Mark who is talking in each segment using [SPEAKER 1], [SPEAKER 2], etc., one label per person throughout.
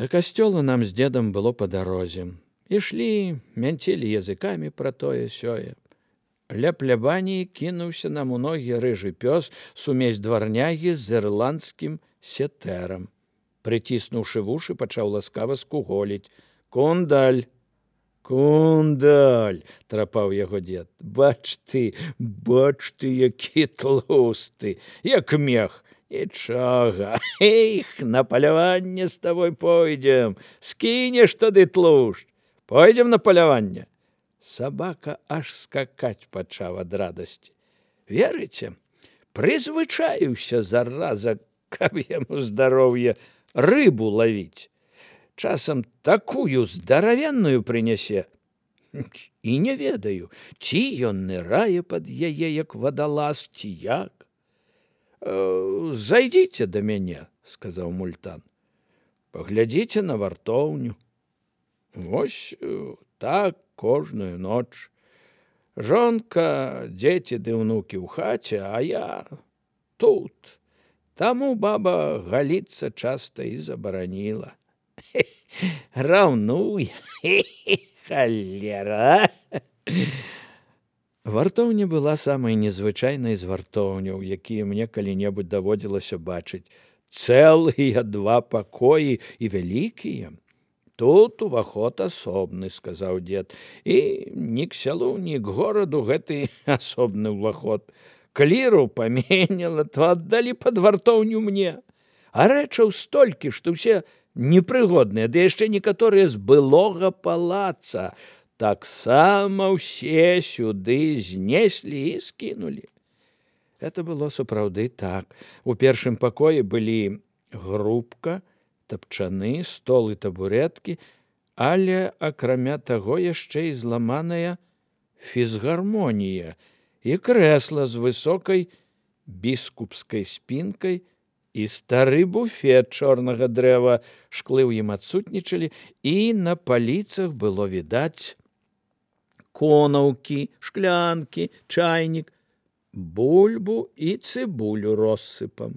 [SPEAKER 1] Да касцёла нам з дзедам было па дарозе. Ішлі, мянцілі языкамі пра тое-сёе. Ля плябаніі кінуўся нам у ногі рыжы пёс, сумесь дварнягі з ірландскім сетэрам. Прыціснуўшы вушы, пачаў ласкава скуголіць: «Кундаль! Кундаль!» – трапаў яго дзед. Бач ты, які тлусты, як мех. Нічога, эх, на паляванне з табой пойдзем, скінеш тады тлушч. Пойдзем на паляванне. Сабака аж скакаць пачаў ад радасці. Верыце, прызвычаіўся зараза, каб яму здароўе рыбу лавіць. Часам такую здаравенную прынясе. І не ведаю, ці ён нырае пад яе, як вадалаз, ці як. «Зайдзіце да мяне», – сказаў Мультан. «Паглядзіце на вартоўню. Вось так кожную ноч. Жонка, дзеці ды ўнукі ў хаце, а я тут. Таму баба галіцца часта і забараніла. Раўнуе, халера!» Вартоўня была самай незвычайнай з вартоўняў, якія мне калі-небудзь даводзілася бачыць. Цэлыя 2 пакоі і вялікія. «Тут уваход асобны», – сказаў дзед. «І ні к сялу, ні к гораду гэты асобны ўваход. Кліру паменяла, то аддалі пад вартоўню мне. А рэчаў столькі, што ўсе непрыгодныя, ды яшчэ некаторыя з былога палаца. Таксама ўсе сюды знеслі і скінулі». Это было сапраўды так. У першым пакоі былі грубка, тапчаны, стол і табурэткі, але, акрамя таго, яшчэ і зламаная фізгармонія і крэсла з высокай біскупскай спінкай і стары буфет чорнага дрэва. Шклы ў ім адсутнічалі, і на паліцах было відаць конаўкі, шклянкі, чайнік, бульбу і цыбулю россыпам.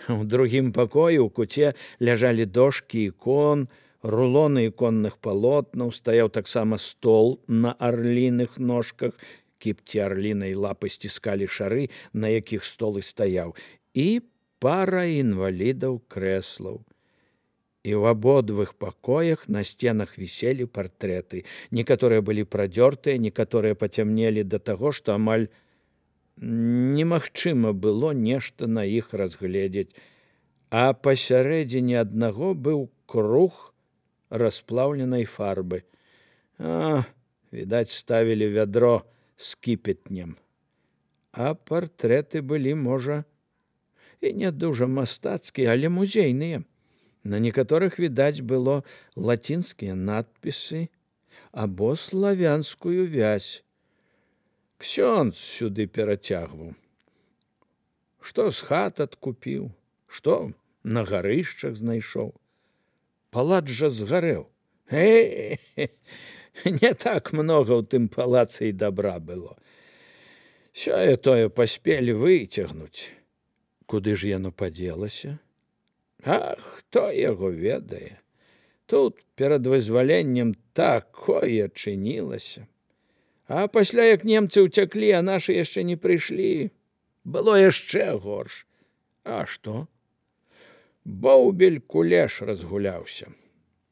[SPEAKER 1] У другім пакоі ў куце ляжалі дошкі ікон, рулоны іконных палотнаў, стаяў таксама стол на арліных ножках, кіпці арлінай лапы сціскалі шары, на якіх стол і стаяў, і пара інвалідаў крэслаў. І ў абодвых пакоях на сценах віселі партрэты. Некаторыя былі прадзёртыя, некаторыя пацямнелі да таго, што амаль немагчыма было нешта на іх разгледзець. А пасярэдзіне аднаго быў круг расплаўленай фарбы. Відаць, ставілі вядро з кіпятнем. А партрэты былі, можа, і не дужа мастацкія, але музейныя. На некаторых, відаць, было лацінскія надпісы або славянскую вязь. Ксёндз сюды перацягваў. Што з хат адкупіў, што на гарышчах знайшоў. Палац жа згарэў. Не так многа ў тым палацы і дабра было. Сёе-тое паспелі выцягнуць. Куды ж яно падзелася? Хто яго ведае? Тут перад вызваленнем такое чынілася. А пасля, як немцы ўцяклі, а нашы яшчэ не прыйшлі, было яшчэ горш. А што? Боўбель кулеш разгуляўся.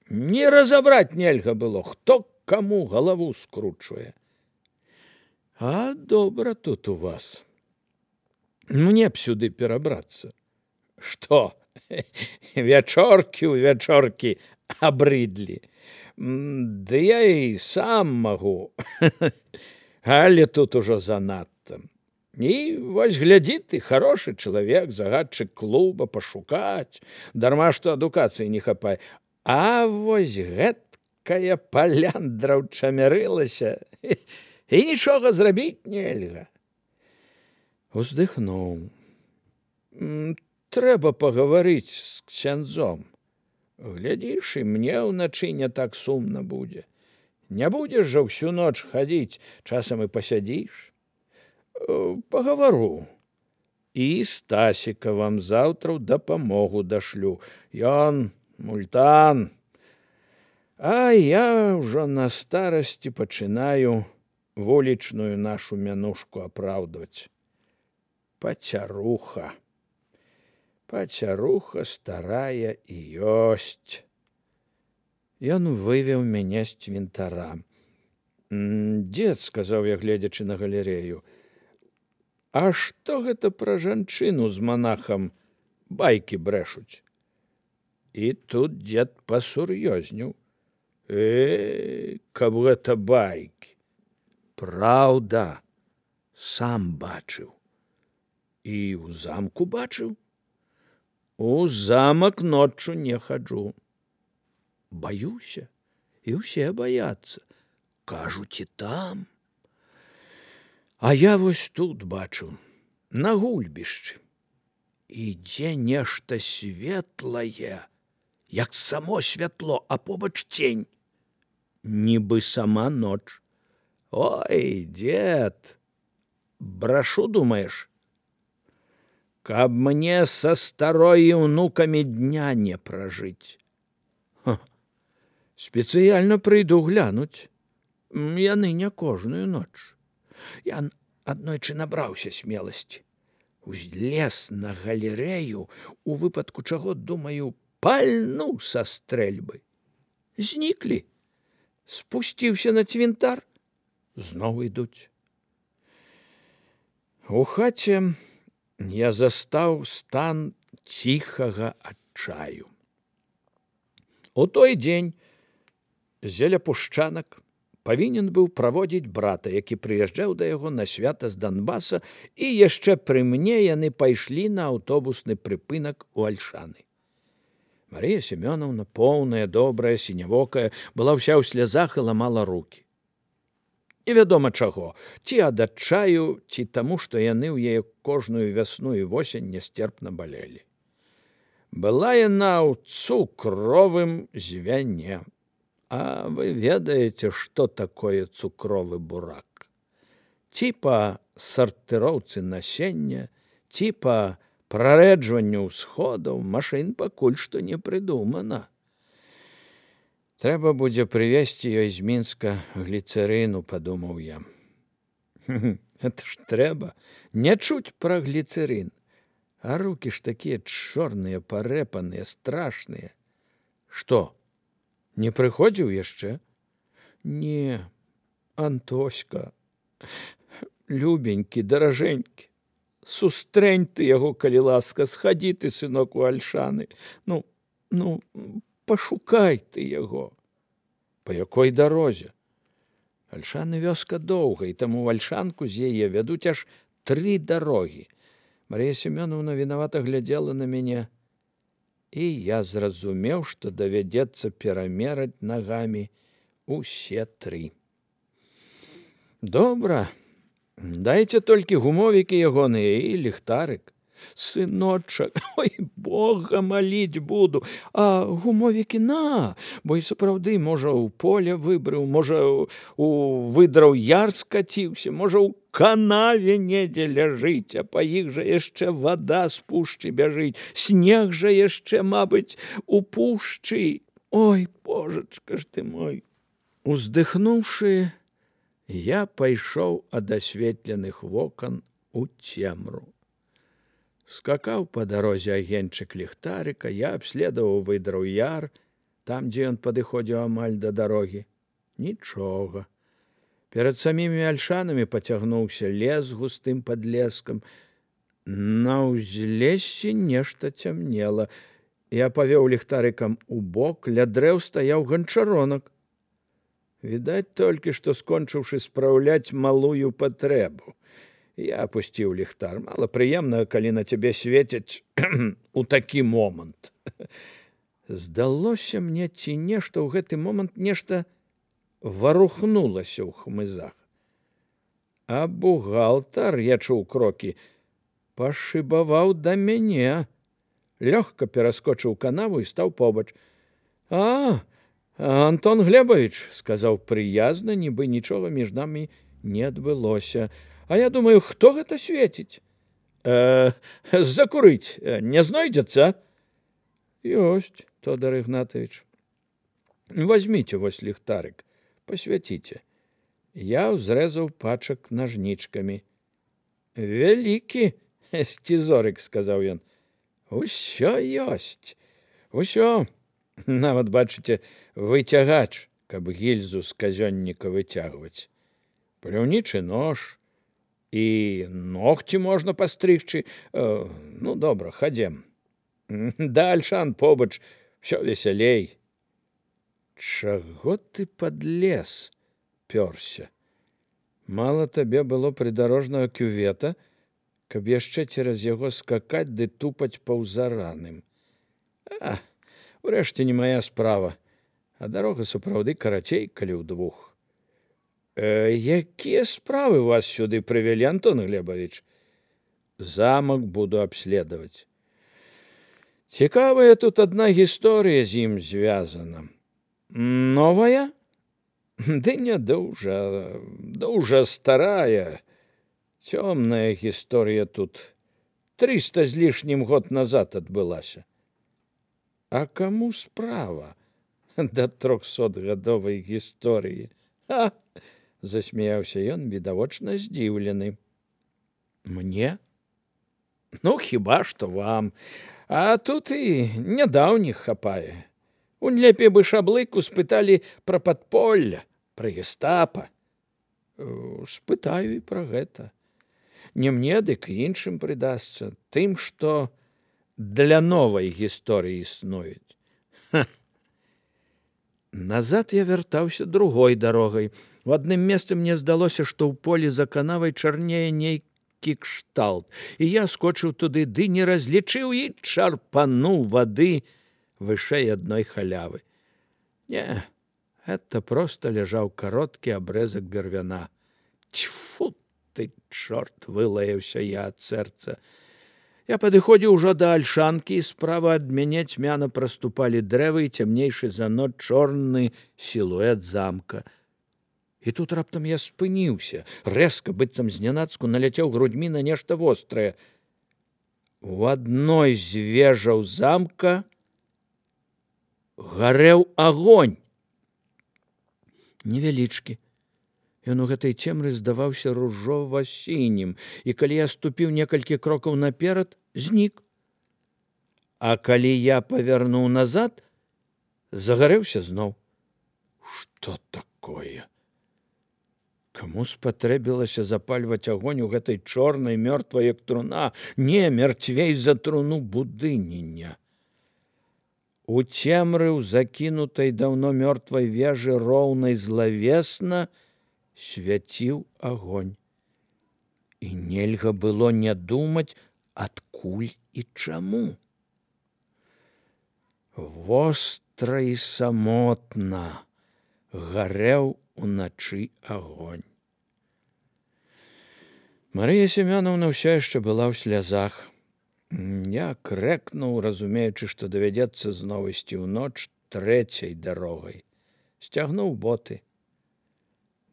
[SPEAKER 1] Не разабраць нельга было, хто каму галаву скручвае. А добра тут у вас. Мне б сюды перабрацца. Што? Вячоркі ў вячоркі абрыдлі. Ды я і сам магу, але тут ужо занадта. І вось глядзі ты, хорошы чалавек, загадчык клуба, пашукаць, дарма што адукацыі не хапае. А вось гэткая паляндра ўчамярылася, і нічога зрабіць нельга. Уздыхнуў. Трэба пагаварыць з ксяндзом. Глядзіш, і мне ўначы не так сумна будзе. Не будзеш жа ўсю ноч хадзіць, часам і пасядзіш. Пагавару. І Стасіка вам заўтра ў дапамогу дашлю. Ён Мультан. А я ўжо на старасці пачынаю вулічную нашу мянушку апраўдваць. Пацяруха. Пацяруха старая і ёсць. Ён вывеў мяне з цвінтара. Дзед, сказаў я, гледзячы на галерею, а што гэта пра жанчыну з манахам байкі брэшуць? І тут дзед пасур'ёзнеў. Каб гэта байкі. Праўда, сам бачыў. І ў замку бачыў. У замак ноччу не хаджу. Баюся, і ўсе баяцца. Кажуць, і там. А я вось тут бачыў, на гульбішчы. Ідзе нешта светлае, як само святло, а побач цень. Нібы сама ноч. Ой, дзед, брашу, думаеш? Каб мне са старой і ўнукамі дня не пражыць. Спецыяльна прыйду глянуць. Яны не кожную ноч. Я аднойчы набраўся смеласці. Узлез на галерею, у выпадку чаго, думаю, пальну са стрэльбы. Зніклі. Спусціўся на цвінтар, зноў ідуць. У хаце я застаў стан ціхага адчаю. У той дзень Зелепушчанак павінен быў праводзіць брата, які прыязджаў да яго на свята з Донбаса, і яшчэ пры мне яны пайшлі на аўтобусны прыпынак у Альшаны. Марыя Семёнаўна, поўная, добрая, сінявокая, была ўся ў слязах і ламала рукі. Невядома чаго, ці ад адчаю, ці таму, што яны ў яе кожную вясну і восень нясцерпна балелі. Была яна ў цукровым звяне. А вы ведаеце, што такое цукровы бурак? Ці па сартыроўцы насення, ці па прарэджванню ўсходаў машын пакуль што не прыдумана. Трэба будзе прывезці ёй з Мінска гліцэрыну, падумаў я. Это ж трэба не чуць пра гліцэрын. А рукі ж такія чорныя, парэпаныя, страшныя. Што? Не прыходзіў яшчэ? Не, Антоська, любенькі, даражэнькі, сустрэнь ты яго, калі ласка, схадзі ты, сынок, у Альшаны. Ну, пашукай ты яго. Па якой дарозе? Альшаны вёска доўга, і таму ў Альшанку з яе вядуць аж 3 дарогі. Марія Семёнаўна вінавата глядзела на мяне, і я зразумеў, што давядзецца перамераць нагамі усе 3. Добра, дайце толькі гумовікі ягоныя і ліхтарык. Сыночак, ой, Бога маліць буду, а гумовікі на, бо і сапраўды, можа, у поле выбрыў, можа, у выдраў яр скаціўся, можа, у канаве недзе ляжыць, а па іх жа яшчэ вада з пушчы бяжыць, снег жа яшчэ, мабыць, у пушчы. Ой, божачка ж ты мой. Уздыхнуўшы, я пайшоў ад асветленых вокон у цемру. Скакаў па дарозе агеньчык ліхтарыка, я абследаваў выдраў яр, там, дзе ён падыходзіў амаль да дарогі. Нічога. Перад самімі Альшанамі пацягнуўся лес густым падлескам. На ўзлессі нешта цямнела. Я павёў ліхтарыкам у бок, ля дрэў стаяў ганчаронак. Відаць толькі, што скончыўшы спраўляць малую патрэбу. Я апусціў ліхтар. Мала прыемна, калі на цябе свецяць у такі момант. Здалося мне, ці нешта ў гэты момант нешта варухнулася ў хмызах. А бухгалтар, я чуў крокі, пашыбаваў да мяне. Лёгка пераскочыў канаву і стаў побач. Антон Глебович, сказаў прыязна, нібы нічога між намі не адбылося. А я думаю, хто гэта свеціць? Закурыць не знойдзецца? Ёсць, Тодар Ігнатович. Возьмите вось ліхтарык, посвяціце. Я ўзрэзаў пачак нажнічкамі. Вялікі сцізорык, сказаў ён. Усё ёсць, усё. Нават, бачыце, выцягач, каб гільзу з казённіка выцягваць. Паляўнічы нож, і ногці можна пастрыгчы. Ну, добра, хадзем. Да Альшан побач, всё весялей. Чаго ты пад лес пёрся? Мала табе было прыдарожнага кювета, каб яшчэ цераз яго скакаць ды тупаць паўзараным. Урэшце не мая справа, а дарога сапраўды карацей, калі ўдвух. Якія справы вас сюды прывялі, Антон Глебович? Замак буду абследаваць. Цікавая тут адна гісторыя з ім звязана. Новая? Ды не дужа старая. Цёмная гісторыя тут 300 з лішнім год назад адбылася. А каму справа да 300-гадовай гісторыі? Засмяяўся ён, відавочна здзіўлены. Мне? Ну, хіба што вам. А тут і нядаўніх хапае. Унь лепей бы Шаблыку спыталі пра падполля, пра гестапа. Спытаю і пра гэта. Не мне, дык іншым прыдасца, тым, што для новай гісторыі існуюць. Назад я вяртаўся другой дарогай. У адным месцы мне здалося, што ў полі за канавай чарнее нейкі кшталт, і я скочыў туды, ды не разлічыў і чарпануў вады вышэй адной халявы. Не, это проста ляжаў кароткі абрэзак бервяна. Тьфу ты, чорт, вылаяўся я ад сэрца. Я падыходзіў ужо да Альшанкі, і справа ад мяне цьмяна праступалі дрэвы і цямнейшы за ноч чорны сілуэт замка. І тут раптам я спыніўся, рэзка, быццам знянацку, наляцеў грудьмі на нешта вострае. У адной з вежаў замка гарэў агонь. Невялічкі. Ён у гэтай цемры здаваўся ружова-сінім, і калі я ступіў некалькі крокаў наперад, знік. А калі я павярнуў назад, загарэўся зноў. Што такое? Каму спатрэбілася запальваць агонь у гэтай чорнай мёртвай, як труна? Не, мярцвей за труну будыніня. У цемры ў закінутай даўно мёртвай вежы роўнай злавесна свяціў агонь. І нельга было не думаць, адкуль і чаму. Востра і самотна гарэў уначы агонь. Марыя Семёнаўна ўся яшчэ была ў слязах. Я крэкнуў, разумеючы, што давядзецца зноў ісці ў ноч трэцяй дарогай. Сцягнуў боты.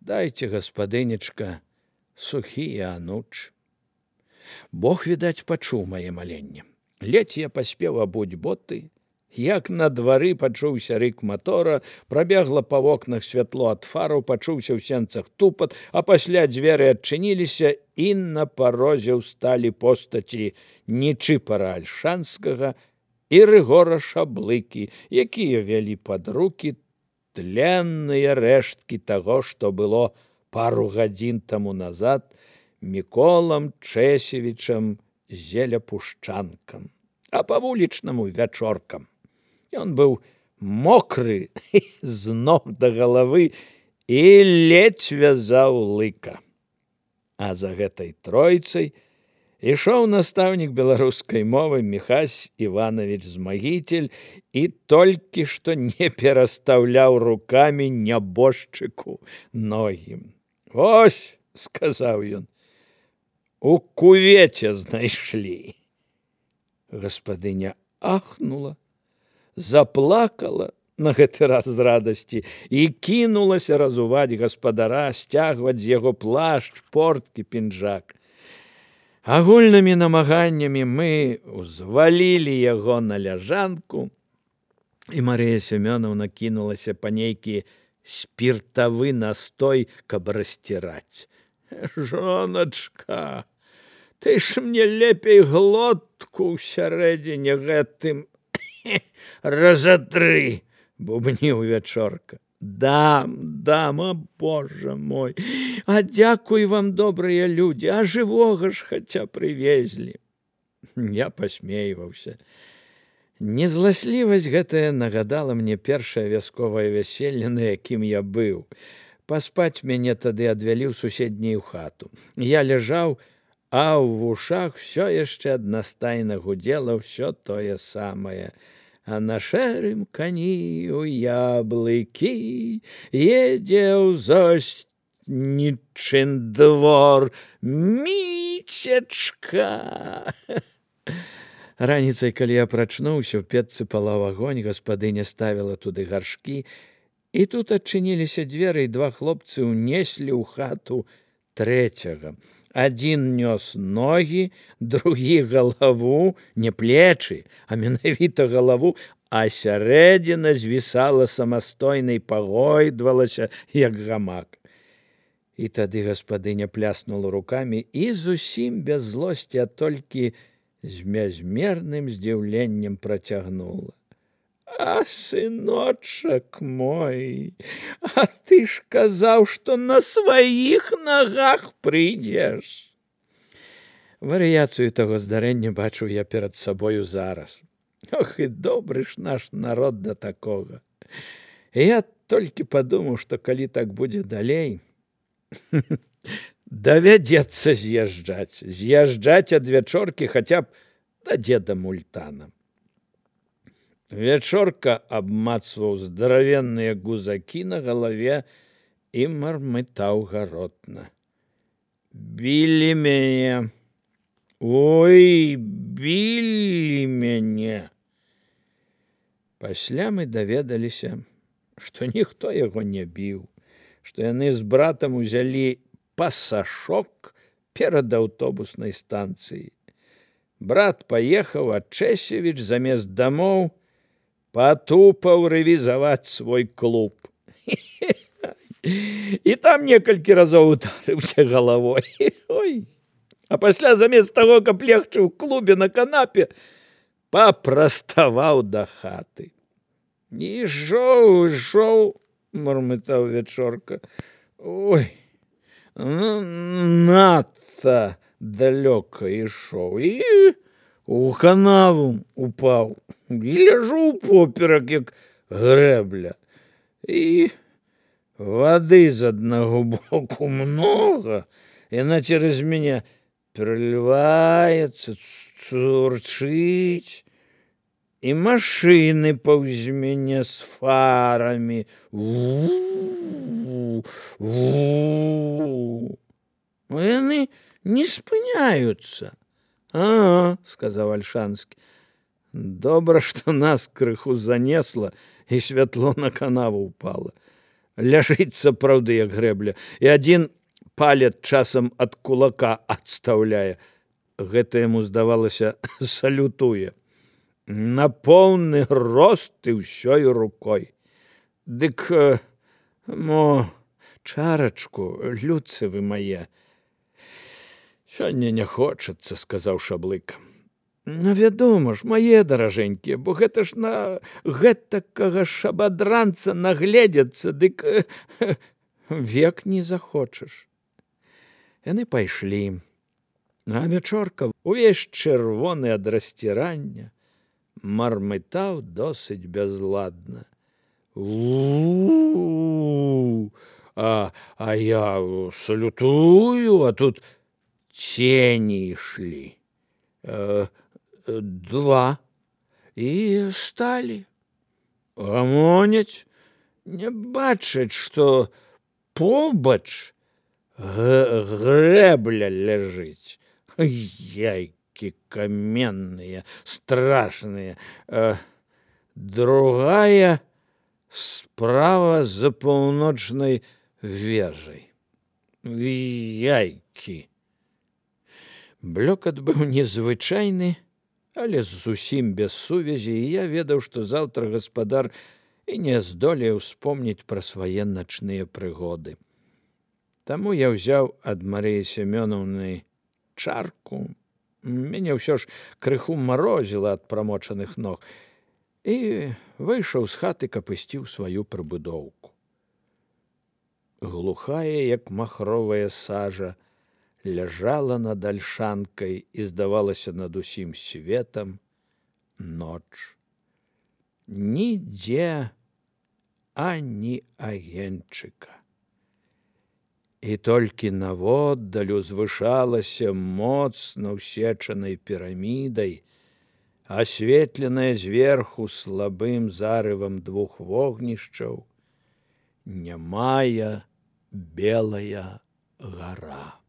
[SPEAKER 1] Дайце, гаспадынечка, сухія ануч. Бог, відаць, пачуў мае маленне. Ледзь я паспеў абуць боты, як на двары пачуўся рык матора, прабегла па вокнах святло ад фараў, пачуўся ў сенцах тупат, а пасля дзверы адчыніліся, і на парозе ўсталі постаці Нечыпара Альшанскага і Рыгора Шаблыкі, якія вялі пад рукі тленныя рэшткі таго, што было пару гадзін таму назад Міколам Чэсевічам Зеляпушчанкам, а па-вулічнаму вячоркам. Ён быў мокры з ног да галавы і ледзь вязаў лыка. А за гэтай тройцай ішоў настаўнік беларускай мовы Міхась Іванович Змагіцель і толькі што не перастаўляў рукамі нябожчыку ногі. «Вось», — сказаў ён, — «у кувеце знайшлі». Гаспадыня ахнула, заплакала на гэты раз з радасці і кінулася разуваць гаспадара, сцягваць з яго плашч, порткі, пінжак. Агульнымі намаганнямі мы ўзвалілі яго на ляжанку, І Марыя Семёнаўна кінулася па нейкі спіртавы настой, каб расціраць. Жоначка, ты ж мне лепей глотку ўсярэдзіне гэтым разатры, бубніў Вячорка. Дам, а божа мой, а дзякуй вам, добрыя людзі, а жывога ж хаця прывезлі. Я пасмейваўся. Незласлівасць гэтая нагадала мне першае вясковае вяселле, на якім я быў. Паспаць мяне тады адвялі ў суседнюю хату. Я ляжаў, а ў вушах все яшчэ аднастайна гудзела ўсё тое самае. А на шэрым кані ў яблыкі едзе ў зоснічын двор Мічачка. Раніцай, калі я прачнуўся, у печцы палаў агонь, гаспадыня ставіла туды гаршкі, і тут адчыніліся дзверы, і два хлопцы ўнеслі ў хату трэцяга. Адзін нёс ногі, другі галаву, не плечы, а менавіта галаву, а сярэдзіна звісала самастойнай, пагойдвалася, як гамак. І тады гаспадыня пляснула рукамі і зусім без злосці, а толькі з бязмерным здзіўленнем працягнула. А, сыночак мой, а ты ж казаў, што на сваіх нагах прыйдзеш. Варыяцыю таго здарэння бачу я перад сабою зараз. Ох, і добры ж наш народ да такога. І я толькі падумаў, што калі так будзе далей, давядзецца з'язджаць ад Вячоркі хаця б да дзеда Мультана. Вячорка абмацваў здаравенныя гузакі на галаве і мармытаў гаротна. Білі мяне, ой, білі мяне. Пасля мы даведаліся, што ніхто яго не біў, што яны з братам узялі пасашок перад аўтобуснай станцыяй. Брат паехаў, а Чэсевіч замест дамоў патупаў рэвізаваць свой клуб. І там некалькі разоў ударыўся галавой. Ой. А пасля замест таго, каб легчы ў клубе на канапе, папраставаў да хаты. Ішоў, мармытаў Вячорка. Ой, надта далёка ішоў і у канаву упаў. І ляжу поперак, як грэбля. І вады з аднаго боку многа, яна цераз мяне пераліваецца, цурчыць, і машыны паўз мяне з фарамі. Яны не спыняюцца. Ага, сказаў Альшанскі. Добра, што нас крыху занесла, і святло на канаву упала. Ляжыць сапраўды, як грэбля, і адзін палец часам ад кулака адстаўляе. Гэта яму, здавалася, салютуе. На поўны рост і ўсёй рукой. Дык, чарачку, людцы вы мае. Сёння не хочацца, сказаў Шаблык. Ну, вядома ж, мае даражэнькія, бо гэта ж на гэтакага шабадранца нагледзяцца, дык век не захочаш. Яны пайшлі, а Вячорка, увесь чырвоны ад расцірання, мармытаў досыць бязладна. А я салютую, а тут цені ішлі. Два. І сталі. Гамоняць, не бачаць, што побач грэбля ляжыць. Яйкі каменныя, страшныя. Другая справа за паўночнай вежай. Яйкі. Блёкат быў незвычайны, але зусім без сувязі, і я ведаў, што заўтра гаспадар і не здолеў успомніць пра свае начныя прыгоды. Таму я ўзяў ад Марыі Семёнаўны чарку, мяне ўсё ж крыху марозіла ад прамочаных ног, і выйшаў з хаты, каб ісці ў сваю прыбудоўку. Глухая, як махровая сажа, ляжала над альшанкай і здавалася над усім светам ноч. Нідзе ані агеньчыка. І толькі наводдаль узвышалася моцна ўсечанай пірамідай, асветленая зверху слабым зарывам двух вогнішчаў, нямая белая гара.